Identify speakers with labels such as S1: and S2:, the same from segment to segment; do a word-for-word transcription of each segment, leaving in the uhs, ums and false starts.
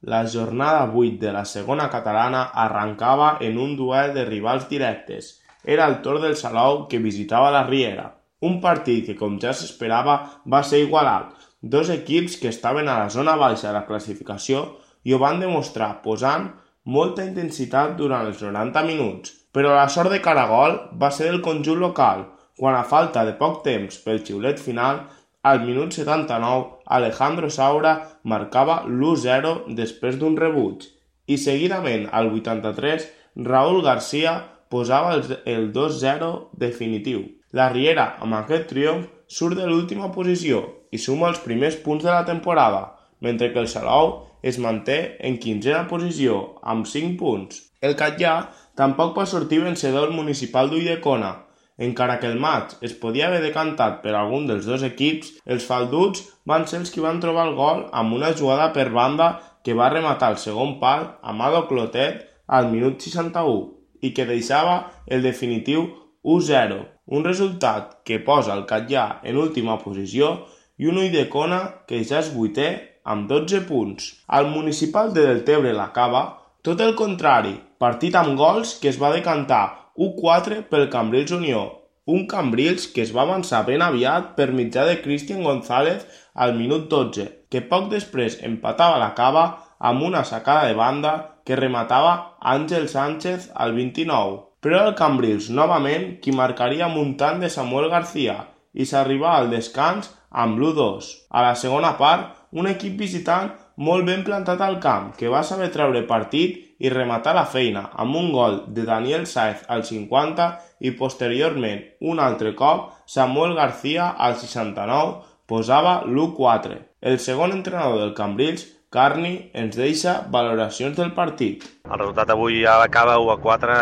S1: La jornada vuit de la segona catalana arrencava en un duel de rivals directes. Era el torn del Salou que visitava la Riera. Un partit que, com ja s'esperava, va ser igualat. Dos equips que estaven a la zona baixa de la classificació i ho van demostrar posant molta intensitat durant els noranta minuts. Però la sort de caragol va ser del conjunt local, quan a falta de poc temps pel xiulet final, al minut setanta-nou, Alejandro Saura marcava l'u zero després d'un rebuig i seguidament, al vuitanta-tres, Raúl García posava el dos zero definitiu. La Riera, amb aquest triomf, surt de l'última posició i suma els primers punts de la temporada, mentre que el Salou es manté en quinzena posició, amb cinc punts. El Catllà tampoc va sortir vencedor municipal d'Ulldecona. Encara que el maig es podia haver decantat per algun dels dos equips, els falduts van ser els qui van trobar el gol amb una jugada per banda que va rematar el segon pal Amado Clotet al minut seixanta-u i que deixava el definitiu u zero, un resultat que posa el Catllà en última posició i un Ulldecona que ja és vuitè amb dotze punts. Al municipal de Deltebre l'acaba, tot el contrari, partit amb gols que es va decantar u quatre pel Cambrils Unió, un Cambrils que es va avançar ben aviat per mitjà de Cristian González al minut dotze, que poc després empatava la cava amb una sacada de banda que rematava Àngel Sánchez al vint-i-nou. Però el Cambrils novament qui marcaria amb un tant de Samuel García i s'arribava al descans amb l'u dos. A la segona part, un equip visitant molt ben plantat al camp, que va saber treure partit i rematar la feina amb un gol de Daniel Sáez al cinquanta i posteriorment, un altre cop, Samuel García al seixanta-nou posava l'u quatre. El segon entrenador del Cambrils, Carni, ens deixa valoracions del partit.
S2: El resultat avui a la cava u a quatre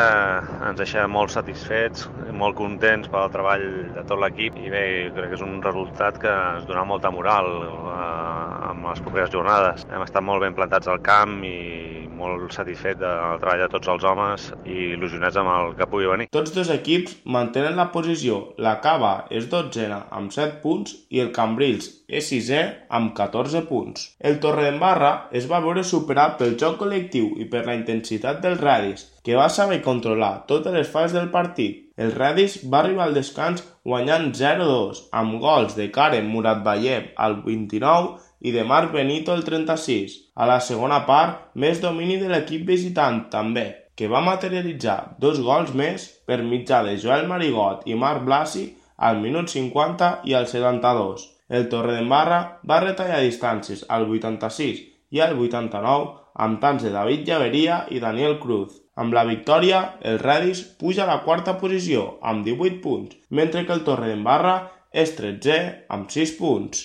S2: ens deixa molt satisfets, molt contents pel treball de tot l'equip i bé, crec que és un resultat que ens dona molta moral eh, amb les properes jornades. Hem estat molt ben plantats al camp i molt satisfet del treball de tots els homes i il·lusionats amb el que pugui venir.
S1: Tots dos equips mantenen la posició. La Cava és dotzena amb set punts i el Cambrils és sisè amb catorze punts. El Torredembarra es va veure superat pel joc col·lectiu i per la intensitat del Radis, que va saber controlar totes les fases del partit. El Radis va arribar al descans guanyant zero dos amb gols de Karen Muratbayev al vint-i-nou i de Marc Benito al trenta-sis. A la segona part, més domini de l'equip visitant també, que va materialitzar dos gols més per mitjà de Joel Marigot i Marc Blasi al minut cinquanta i al setanta-dos. El Torredembarra va retallar distàncies al vuitanta-sis i al vuitanta-nou amb tants de David Llaveria i Daniel Cruz. Amb la victòria, el Radis puja a la quarta posició amb divuit punts, mentre que el Torredembarra és tretzè amb sis punts.